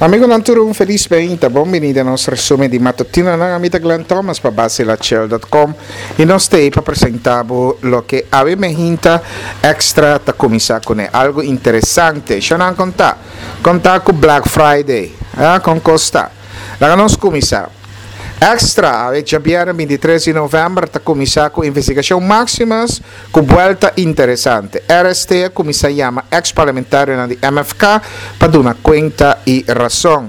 Amigonan tur un felis beinta, bon bini den nos resumen di matutinonan. Ami ta Glenn Thomas pa basilachel.com y nos t'ey pa presenta bo loke awe mehinta extra ta cuminsa cune. Algo interesante. Shonan con ta? Con ta cu Black Friday? Ah, con cos ta? Laga nos cuminsa. Extra, awe djabièrnè bintitres di novèmber ta kuminsá ku investigashon Maximus ku buèlta interesante. RST a kuminsá yama eks parlamentarionan di MFK pa duna kuenta i rason.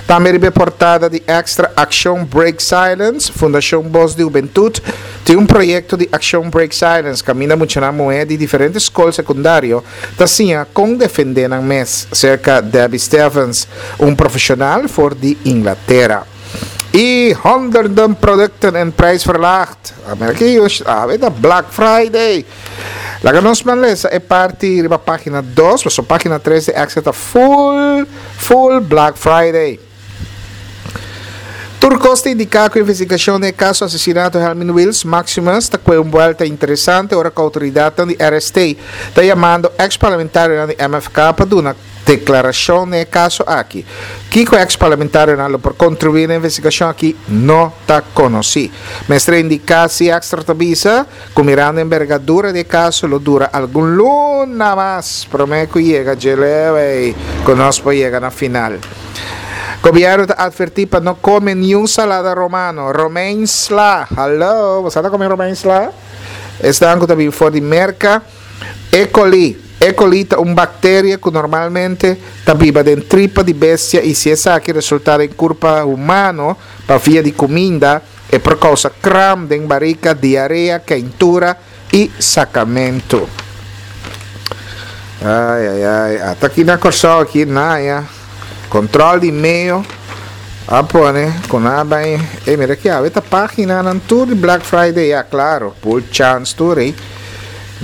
Tambe riba e portada di Extra Akshon Break Silence, Fundashon Bos di Hubentut tin un proyekto di Akshon Break Silence kaminda muchanan muhé di diferente skol sekundario ta siña kon defendé nan mes serka Debbie Stevens, un profeshonal for di Inglatera. I honderden producten en prijs verlaagd. Amer aki awe ta Black Friday. Laga nos man lesa e parti riba pagina 2, pasobra pagina 3 di Extra ta full, full Black Friday. Tur kos ta indiká ku investigashon den e kaso asesinato Helmin Wiels Maximus ta kue un buelta interesante ora ku outoridatnan di RST ta yamando eks parlamentarionan di MFK pa duna deklarashon den e kaso aki. Kiko eks parlamentarionan lo por kontribuí na e investigashon aki no ta konosí. Mester indiká si Extra ta bisa ku mirando embergadura di e kaso lo dura algun luna mas promé ku yega dje leu ei ku nos por yega na final. Gobièrnu ta atvertí pa no kome niun salada romano, romein sla. Hallo, bo sa ta kome romein sla? Esnan ku ta bin for di Merka. E. coli. E. coli ta un bakteria ku normalmente ta biba den tripa di bestia i si esaki resultá den kurpa humano pa via di kuminda, E por kousa kram den barika, diarea, keintura i sakamentu. Ai, ai, ai. Ata aki na Kòrsou aki naya. Kontrol di meo a pone ku nan a bai. Ey, mira aki awe ta paginanan tur di Black Friday. Ya, klaro, pul chans tur ey.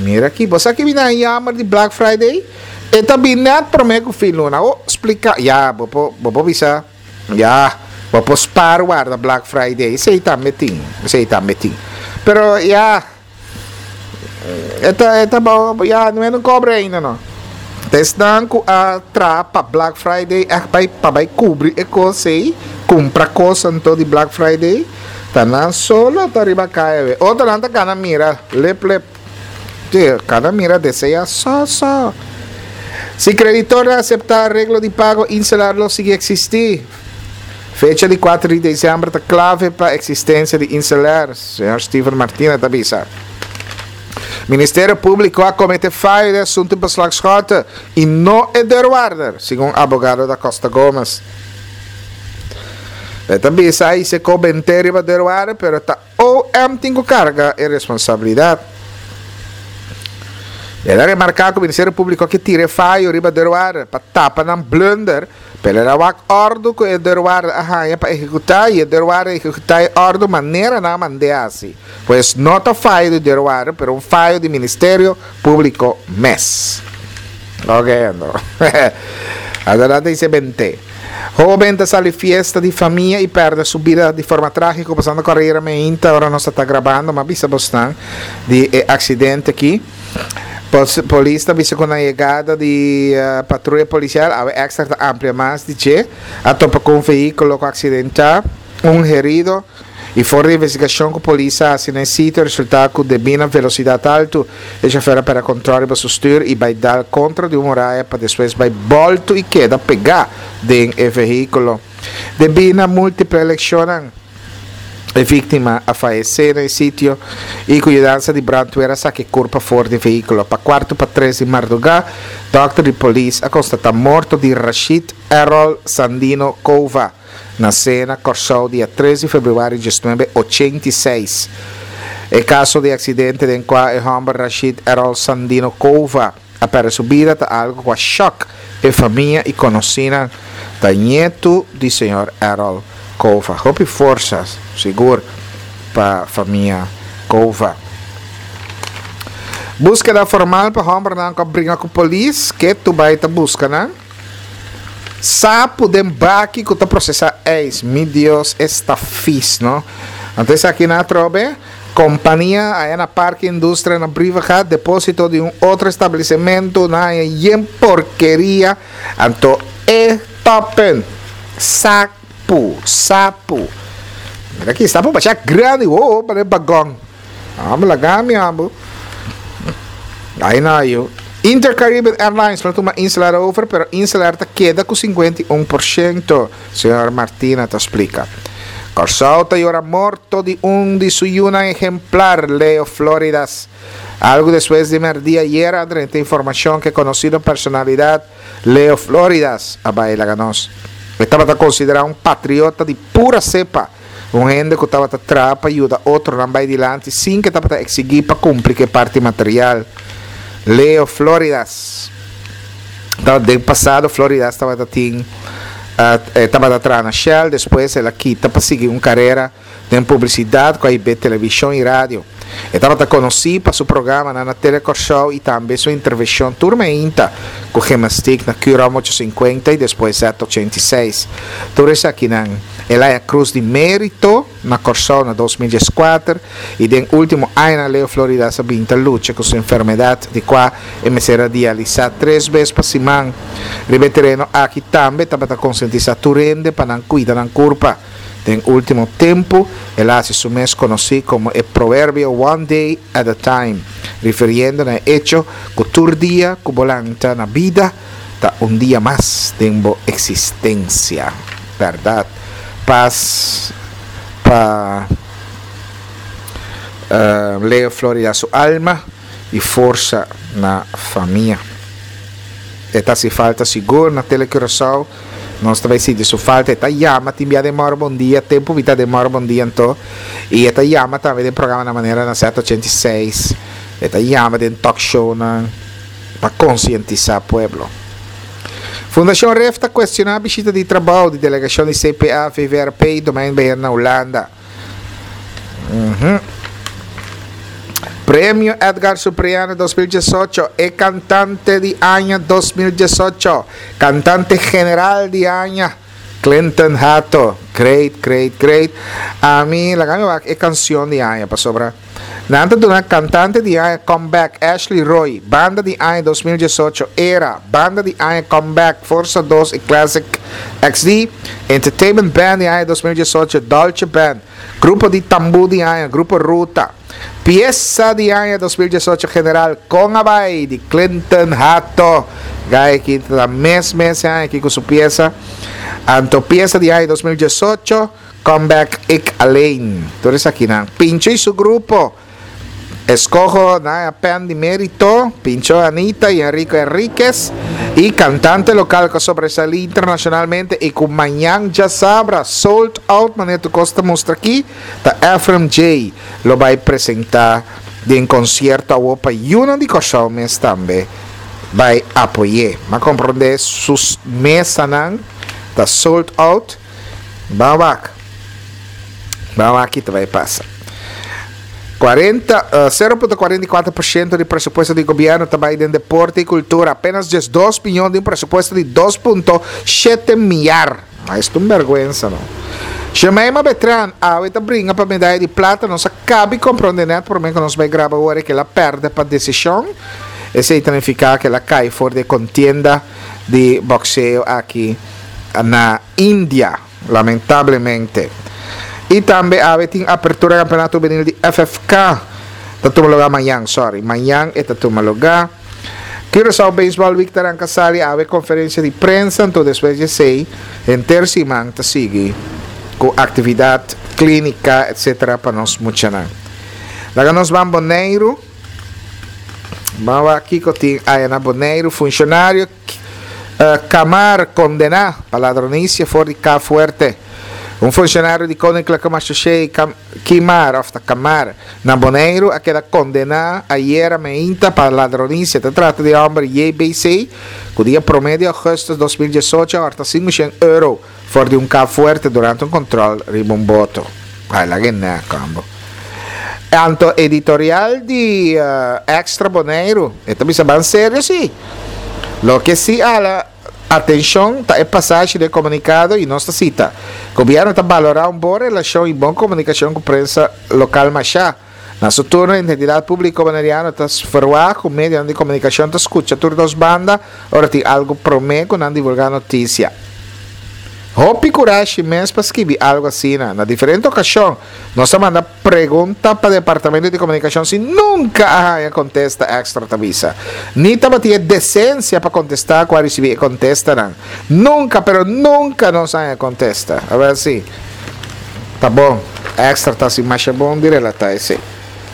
Mira aki, bo sa ki bini a yammer di Black Friday? E ta bin nèt promé ku fin luna. Oh, splika. Ya, bo por, bo por bisa. Ya, bo por spaar warda Black Friday, esei tambe tin, esei tambe tin. Pero ya, e ta, e ta bo, ya, no e kobra ainda no. Ta esnan ku a traha pa Black Friday ègt bai pa bai kubri e kos ei, kumpra kos anto di Black Friday, ta nan solo ta riba kaya we. Otronan ta kana mira lep lep. Te kada mira desea so so. Si kreditornan aseptá areglo di pago, Insular lo sigui eksistí. Fecha di kuater di desèmber ta klave pa eksistensia di Insular, señor Steven Martina ta bisa. Ministerio Públiko a kometé fayo den asuntu beslag Schotte i no e deurwaarder, segun abogado Da Costa Gomez. E ta bisa a hise ko bent'é riba deurwaarder, pero ta OM tin ku karga e responsabilidat. El a remarká ku Ministerio Públiko ke tira e fayo riba deurwaarder pa tapa nan blunder, pero el a wak òrdu ku e deurwaarder a haña pa ehekutá i e deurwaarder a ehekutá e òrdu manera nan a mand'é hasi. Pues no ta fayo di deurwaarder pero un fayo di Ministerio Públiko mes. Oke anto. Anto nan ta hise bent'é. Hoben ta sali fiesta di famia y perde su bida di forma tragico pasando carera meinta ora nos ta ta grabando ma bisa bosnan di e accidente aki. Polis ta bisa cu na yegada di patruya policial awe extra ta amplia mas di dje a topa cu un vehiculo cu accidenta un herido. I for di investigashon ku polis a hasi na e sitio a resultá ku debí na velosidat altu e shofer a pèrdè kontròl riba su stür i bai dal kontra di un muraya pa despues bai bòltu i keda pegá den e vehíkulo. Debí na múltiple lekshonnan e víktima a fayesé na e sitio i ku yudansa di brantwer a saka e kurpa for di e vehíkulo. Pa kuartu pa tres di mardugá dòkter di polis a konstatá morto di Rashid Errol Sandino Cova. Nasé na Kòrsou dia tres di febrüari diesnuebe ochenta i seis. E kaso di aksidente den kua e hòmber Rashid Errol Sandino Cova a pèrdè su bida ta algu ku a shòk e famia i konosínan. Ta ñetu di señor Errol Cova. Hopi forsa sigur pa famia Cova. Búskeda formal pa hòmbernan ku a bringa ku polis ke tu bai ta buska nan. Sapu den baki ku ta prosesá ijs. Mi Dios, esta fis, no? Anto esaki nan atrobe, kompania aya na Parke Industria na Brievengat, deposito di un otro establesimentu, nan haña yen porkeria. Anto e. Toppunt. Sapu, sapu. Mira aki, sapu basha grandi, wo, parece bagong. Amo laga mi amo. Ay na yo. Intercaribbean Airlines lo tuma Insel Air over, pero Insel Air ta keda ku 51%, señor Martina ta splika. Kòrsou ta yora morto di un di su yunan ehemplar, Leo Floridas. Algu despues di mèrdia ayer a drenta informashon ku e konosido personalidat Leo Floridas a bai laga nos. E tabata konsiderá un patriota di pura sepa, un hende ku tabata traha pa yuda otronan bai dilanti sin ku e tabata eksigí pa kumpli ku e parti material. Leo Floridas. Ta den pasado Floridas tabata tin e tabata traha na Shell, despues el a kita pa sigui un karera den publisidat ku a hib'é televishon i radio. E tabata konosí pa su programanan na Tele Kòrsou i tambe su intervenshon tur meinta ku Gymnastiek na Curom 850 i despues Z86. Tur esakinan el a haña Krus di Mérito na Kòrsou na 2014 i den último añanan Leo Floridas a bin ta lucha ku su enfermedat di kua e mester a dialisá tres bes pa siman. Riba e tereno aki tambe tabata konsientisá tur hende pa nan kuida nan kurpa. Den último tempu, el a hasi su mes konosí komo e proverbio one day at a time, rifiriendo na e echo ku tur dia ku bo lanta na bida ta un dia mas den bo eksistensia. Bèrdat. Pas pa Leo Florida su alma i forsa na famia. E ta hasi falta sigur na Tele Curaçao. Nos ta bai sinti su falta. E ta yama tin bia den Mòrgo Bon Dia, tempu mi ta den Mòrgo Bon Dia anto. I e ta yama tambe den programanan manera na Z86. E ta yama den talkshownan pa konsientisá pueblo. Fundashon Ref ta kuestioná bishita di trabou di delegashon di CPA, VVRP i Domeinbeheer na Hulanda. Premio Edgar Supriano 2018, e cantante di aña 2018, cantante general di aña, Clinton Hato. Great, great, great. Ami, laga mi wak e canción di aña pasobra. Nan ta duna Kantante di Aña Comeback, Ashley Roy, Banda di Aña 2018, Era, Banda di Aña Comeback, Forsa Dos i Classic XD, Entertainment Band di Aña 2018, Dolce Band, Grupo di Tambú di Aña, Grupo Ruta, Piesa di Aña 2018 General, Kon a Bai di Clinton Hato, Guy aki ta mes mes e aña aki ku su piesa, anto Piesa di Aña 2018, Comeback Ik Alleen. Tur esakinan. Pincho y su grupo. Escojo na pen di merito, Pincho Anita y Enrico Enriquez. Y cantante local cu sobresalí internacionalmente y cu mañan djasabra sold out manera tur cos ta mustra aki, ta Ephraim J. Lo bay presenta den concierto awo pa yunan di Corsou mes tambe bay apoy'é. M'a comprende su mesanan ta sold out. Ban wak. Ban wak ki ta bai pasa. 40, 0.44% di presupuesto di gobierno ta bai den deporte y cultura. Apenas 12 miljoen di un presupuesto di 2.7 miar. Ma esto un vergüenza, no? Jemima Betran, awe ta bringa pa medaya di plata. Nos a cabi compronde net prome cu nos bai graba ora que la perde pa decision. Esey ta nifica que la cai for di contienda di boxeo aki na India, lamentablemente. Y tambe awe tin apertura campeonato juvenil di FFK. Ta tuma lugar mañan, sorry. Mañan e ta tuma lugar. Curaçao Baseball Week ta ranca sali awe conferencia di prensa, anto despues di esey henter siman ta sigui cu actividad, clinica, etc. Pa nos muchanan. Laga nos ban Boneiru. Ban wak kico tin aya na Boneiru. Funcionario Kamar kondená pa ladronisia for di Ka Fuerte. Un funshonario di Koninklijke Marechaussee Kimar òf ta Kamar na Boneiru a keda kondená ayera meinta pa ladronisia. Ta trata di e hòmber JBC ku dia promé di ougùstùs 2018 a hòrta 500 euro for di un Ka Fuerte durante un kòntròl riba un boto. Ai laga e nèk ambo. Anto editorial di Extra Boneiru e ta bisa ban serio si. Loke si hala atencion ta e pasashi den comunicado y nos ta cita, Gobierno ta balora un bon relacion y bon comunicacion cu prensa local masha. Na su turno Identidad Publico Boneriano ta ferwagt cu medionan di comunicacion ta scucha tur dos banda ora tin algo prome cu nan divulga noticia. Hopi kurashi mes pa skibi algu asina. Na diferente okashon nos a manda pregunta pa Departamento di Komunikashon si nunka a haña kontesta, Extra ta bisa. Ni tabatin e desensia pa kontestá ku a risibí e kontestanan. Nunka, pero nunka nos a haña kontesta. Awel si. Ta bon. Extra ta hasi masha bon di relatá esei.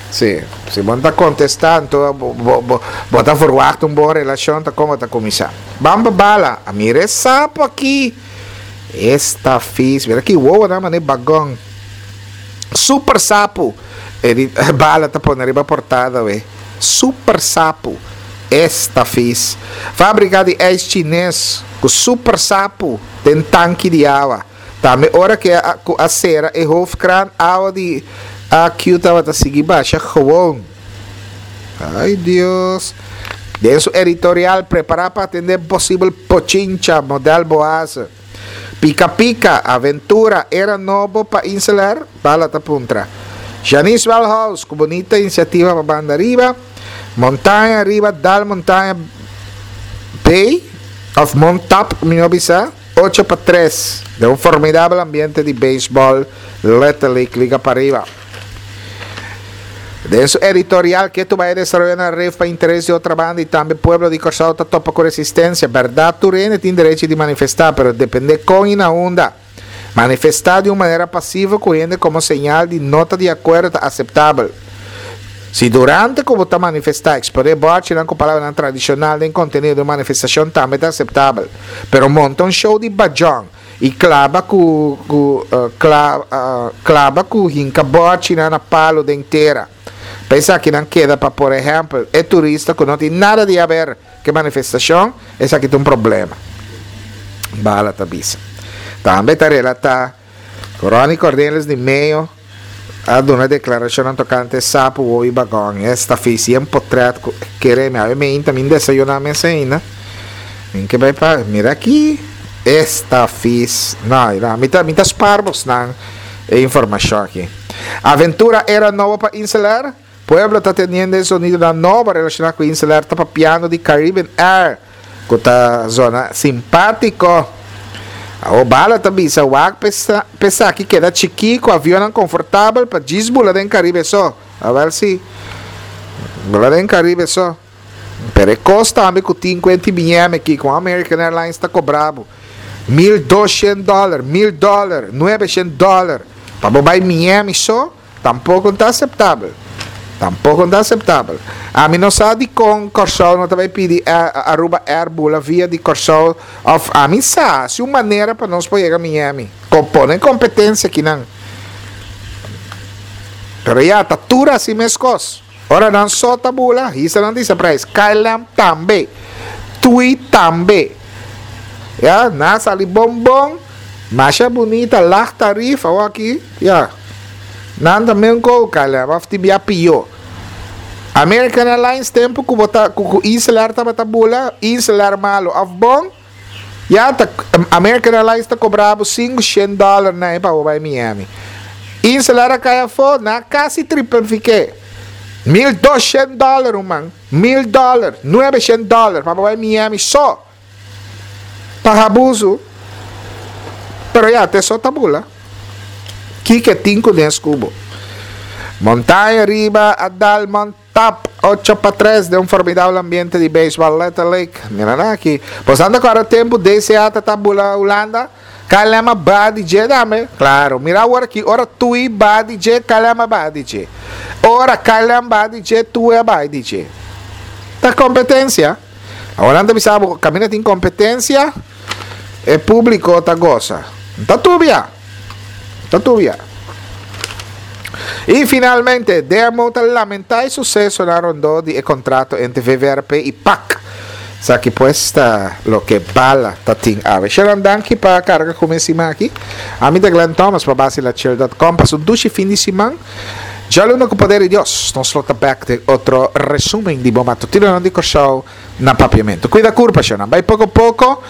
Si, si bo no ta kontestá anto bo bo bo ta verwagt un bon relashon ta kon bo ta kuminsá. Ban pa bala, a mira e sapo aki. Esta fis, mira ki wowonan manera bagon. Super sapu, e di bala ta pone riba portada we. Super sapu, esta fis. Fabrika di ijs chines ku super sapu den tanki di awa. Tambe ora ke a ku a sera e hoofdkraan awa di AQ tabata sigui basha gewoon. Ay Dios. Den su editorial prepara pa atende posibel pochincha model Boaze. Pika pika, aventura, era nobo pa Inselair? Bala ta puntra. Janice Wellhouse ku bunita inisiativa pa banda riba. Montaña riba dal montaña bay of Montap mihó bisa. 8 pa 3 den un formidabel ambiente di beisbòl Little League Liga Pariba. Den su editorial ke bai desaroyo na ref pa interes di otra banda i tambe pueblo di Kòrsou ta topa ku resistensia. Bèrdat tur hende tin derecho di manifestá, pero dependé kon i na unda. Manifestá di un manera pasivo ku hende komo señal di no ta di akuerdo ta aseptabel. Si durante ku bo ta manifestá eksponé bòrchinan ku palabranan tradishonal den kontenido di un manifestashon tambe ta aseptabel. Pero monta un show di bajòn i klaba ku ku klaba ku hinka bòrchinan na palu den tera. Pa esakinan keda pa por ehèmpel e turista ku no tin nada di haber ku e manifestashon, esaki ta un problema. Bala ta bisa. Tambe ta relatá ku Ronnie Cornelis di Meo a duna deklarashonnan tokante sapu, wou i bagòn. Esta fisi en potrèt ku kere mi. Awe meinta mi desayuná mes ainda. Mi ke bai pa mira aki. Esta fis. No, no, mi ta mi ta spar bosnan e informashon aki. Aventura era nobo pa Inselair. Pueblo ta teniendo e sonidonan nobo relashoná ku Inselair ta papiando di Caribbean Air ku ta zona simpátiko. Awor Bala ta bisa wak pa esaki keda chikí ku avionnan konfortabel pa djis bula den Karibe so. Awel si, bula den Karibe so. Pero e kos tambe ku tin ku enti Miami aki ku American Airlines ta kobra bo 1200 dòler, 1000 dòler, 900 dòler pa bo bai Miami so. Tampoko no ta aseptabel. Tampoko no ta aseptabel. Ami no sa dikon Kòrsou no ta bai pidi Aruba Air bula via di Kòrsou òf ami sa si un manera pa nos por yega Miami. Kon pone kompetensia kinan. Pero ya ta tur hasi meskos. Ora nan so ta bula, hisa nan disa prijs. KLM tambe. TUI tambe. Ya, nan a sali bon bon. Masha bunita, lag tarief, awor aki, ya. Nan ta men kou KLM, of tin bia pio. American Airlines tempo ku bo ta, ku ku Inselair tabata bula, Inselair malo of bon, Ya ta American Airlines ta cobra bo 500 dollar na e pa bo bai Miami. Inselair a cay afo na casi triplifique. 1200 dollar ruman, 1000 dollar, 900 dollar pa bo bai Miami so. Pa abuso. Pero ya te so ta bula. Kiko tin cu nes cu bo? Montaña riba a dal mont Tap 8 pa 3 den un formidabel ambiente di beisbòl Little League. Mira nan aki. Bo sa anda kòrda tempu DCA ta ta bula Hulanda? KLM a baha di dje tambe. Klaro. Mira awor aki ora Tui baha di dje, KLM a baha di dje. Ora KLM baha di dje, Tui a baha di dje. Ta kompetensia. Awor nan ta bisa bo kaminda tin kompetensia, e públiko ta gosa. Ta tubia. Ta tubia. I finalmente, DMO ta lamentá e susesonan rondó di e kontrato entre VVRP i PAC. Esaki pues ta loke Bala ta tin awe. Sharon, danki pa karga ku mi e siman aki. Ami ta Glenn Thomas pa basilachel.com. Pasa un dushi fin di siman. Djaluna ku poder di Dios, nos lo ta bèk den otro resumen di bo matutinonan di Kòrsou na Papiamentu. Kuida kurpa, Sharon. Bai poko poko.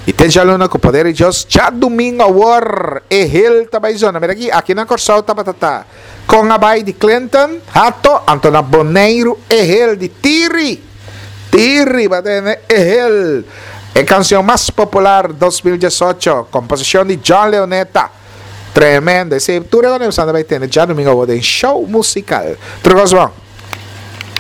I te djaluna ku poder di Dios, djadumingu awor e hel ta bai zona. Mira aki, aki na Kòrsou tabata ta kon a bai di Clinton, Hato, anto na Boneiru e hel di Tiri. Tiri ba tene e hel. E kansion mas popular 2018, komposishon di John Leoneta. Tremendo. Esei tur e kos nos a bai tende djadumingu awor den show musikal. Tur kos bon.